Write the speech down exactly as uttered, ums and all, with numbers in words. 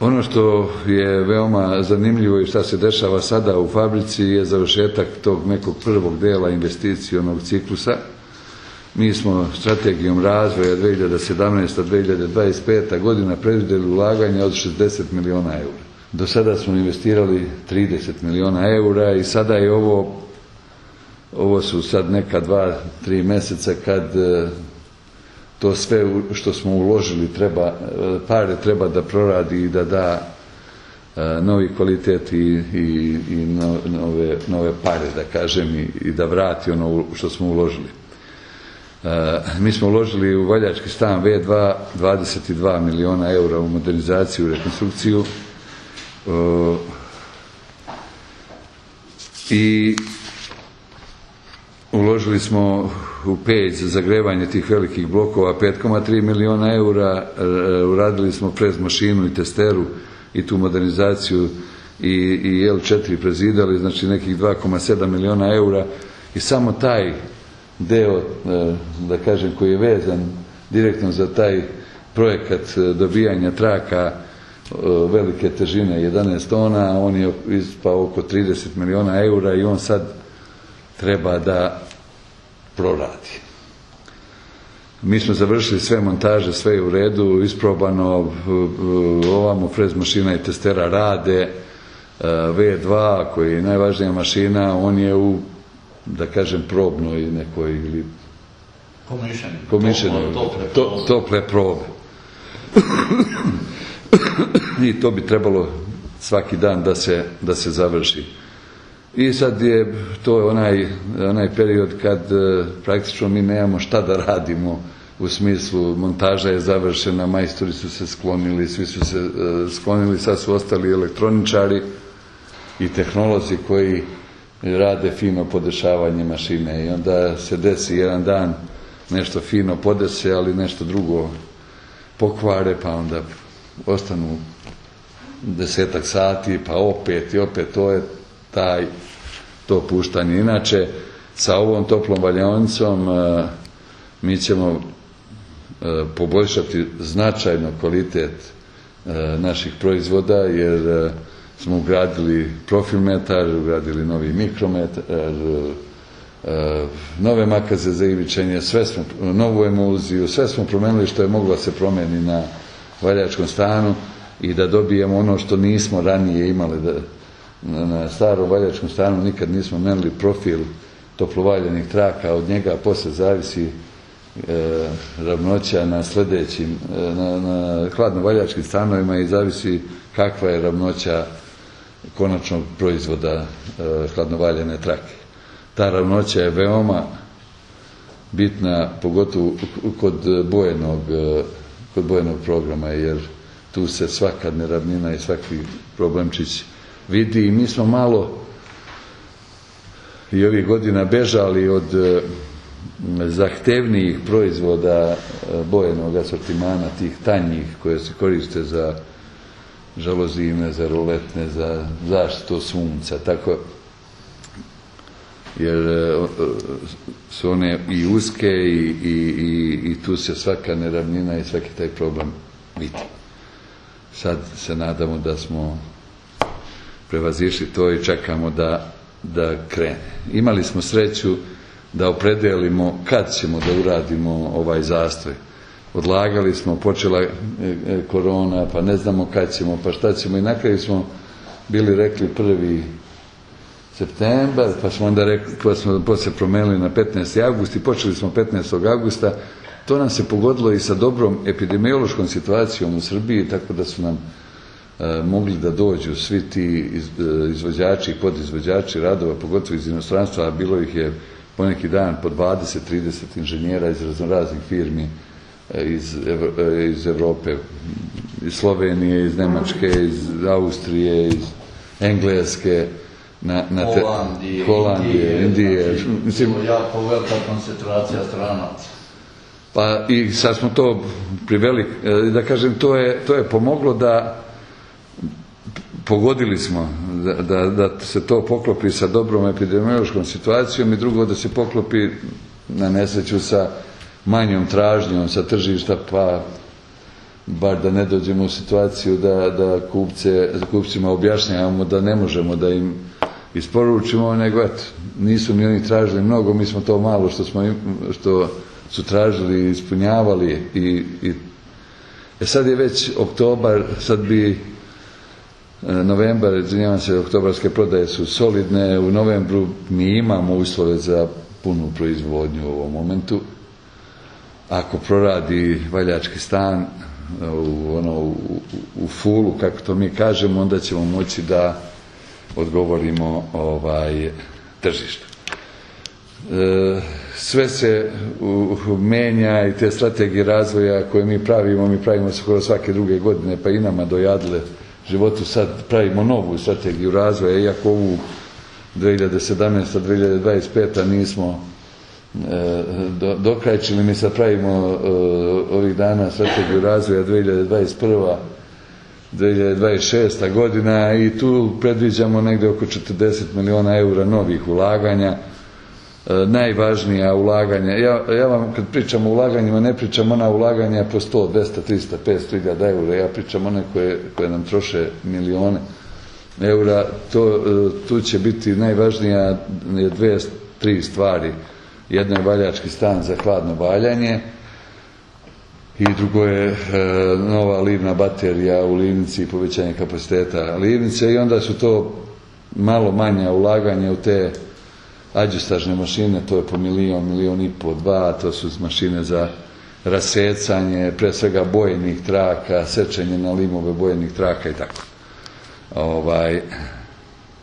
Ono što je veoma zanimljivo i šta se dešava sada u fabrici je završetak tog nekog prvog dela investicionog ciklusa. Mi smo strategijom razvoja dve hiljade sedamnaesta do dve hiljade dvadeset peta godina predvidjeli ulaganje od šezdeset miliona eura. Do sada smo investirali trideset miliona eura i sada je ovo, ovo su sad neka dva, tri mjeseca kad to sve što smo uložili treba, pare treba da proradi i da da novi kvalitet i, i, i nove, nove pare, da kažem, i, i da vrati ono što smo uložili. Mi smo uložili u Valjački stan ve dva dvadeset dva miliona eura u modernizaciju i rekonstrukciju i uložili smo u peć za zagrevanje tih velikih blokova pet zarez tri miliona eura, uradili smo prez mašinu i testeru i tu modernizaciju i, i el četiri prezidali, znači nekih dva zarez sedam miliona eura i samo taj deo, da kažem, koji je vezan direktno za taj projekat dobijanja traka velike težine jedanaest tona, on je ispao oko trideset miliona eura i on sad treba da proradi. Mi smo završili sve montaže, sve je u redu, isprobano, ovamo frez mašina i testera rade, ve dva koji je najvažnija mašina, on je u, da kažem, probnoj nekoj ili komišenoj, to, tople probe. I to bi trebalo svaki dan da se, da se završi. I sad je to onaj, onaj period kad e, praktično mi nemamo šta da radimo, u smislu montaža je završena, majstori su se sklonili, svi su se e, sklonili, sad su ostali elektroničari i tehnolozi koji rade fino podešavanje mašine i onda se desi jedan dan nešto fino podese, ali nešto drugo pokvare, pa onda ostanu desetak sati, pa opet i opet, to je taj, to puštanje. Inače, sa ovom toplom valjaonicom e, mi ćemo e, poboljšati značajno kvalitet e, naših proizvoda, jer e, smo ugradili profilmetar, ugradili novi mikrometar, e, nove makaze za ivičenje, sve smo, novu emulziju, sve smo promenili što je moglo se promeni na Valjačkom stanu i da dobijemo ono što nismo ranije imali. Da, na starom Valjačkom stanu nikad nismo menili profil toplovaljenih traka, od njega posle zavisi e, ravnoća na sledećim, e, na, na hladno-valjačkim stanovima i zavisi kakva je ravnoća konačnog proizvoda e, hladnovaljene trake. Ta ravnoća je veoma bitna, pogotovo kod bojenog, kod bojenog programa, jer tu se svaka neravnina i svaki problemčić vidi i mi smo malo i ovih godina bežali od zahtevnijih proizvoda bojenog asortimana, tih tanjih koje se koriste za žalozine, za roletne, za zaštitu sunca, tako, jer su one i uske i, i, i, i tu se svaka neravnina i svaki taj problem vidi. Sad se nadamo da smo prevazišli to i čekamo da, da krene. Imali smo sreću da opredelimo kad ćemo da uradimo ovaj zastoj. Odlagali smo, počela korona, pa ne znamo kad ćemo, pa šta ćemo, i na kraju smo bili rekli prvi septembar, pa smo onda rekli, pa smo poslije promenili na petnaesti avgust i počeli smo petnaestog avgusta. To nam se pogodilo i sa dobrom epidemiološkom situacijom u Srbiji, tako da su nam e, mogli da dođu svi ti iz, e, izvođači i podizvođači radova, pogotovo iz inostranstva, a bilo ih je poneki dan po dvadeset trideset inženjera iz raznoraznih firmi, e, iz, e, iz Evrope, iz Slovenije, iz Nemačke, iz Austrije, iz Engleske, na, na te, Holandije, Holandije, Indije. Indije. Mislim, jako velika koncentracija stranaca. Pa i sad smo to priveli, da kažem, to je, to je pomoglo da pogodili smo da, da, da se to poklopi sa dobrom epidemiološkom situacijom i drugo da se poklopi na nesreću sa manjom tražnjom sa tržišta, pa bar da ne dođemo u situaciju da, da kupce, kupcima objašnjavamo da ne možemo da im isporučimo, nego eto, nisu ni oni tražili mnogo, mi smo to malo što, smo, što su tražili ispunjavali i, i e sad je već oktobar, sad bi novembar, izvinjavam se, oktobarske prodaje su solidne, u novembru mi imamo uslove za punu proizvodnju u ovom momentu. Ako proradi valjački stan u, ono, u, u fulu, kako to mi kažemo, onda ćemo moći da odgovorimo ovaj, tržištu. E, sve se u, u, menja i te strategije razvoja koje mi pravimo, mi pravimo skoro svake druge godine, pa i nama dojadile životu, sad pravimo novu strategiju razvoja, iako ovu dve hiljade sedamnaesta do dve hiljade dvadeset peta nismo e, do, dokrajčili, mi sad pravimo e, ovih dana strategiju razvoja dve hiljade dvadeset prva do dve hiljade dvadeset šesta godina i tu predviđamo negde oko četrdeset miliona eura novih ulaganja. E, najvažnija ulaganja, ja, ja vam kad pričam o ulaganjima, ne pričam ona ulaganja po sto, dvesta, trista, petsto hiljada eura, ja pričam one koje, koje nam troše milione eura, to, tu će biti najvažnija dve, tri stvari. Jedno je valjački stan za hladno valjanje i drugo je e, nova livna baterija u livnici i povećanje kapaciteta livnice i onda su to malo manja ulaganja u te adjustažne mašine, to je po milion, milion i po, dva, to su mašine za rasecanje, pre svega bojenih traka, sečenje na limove bojenih traka i tako. Ovaj,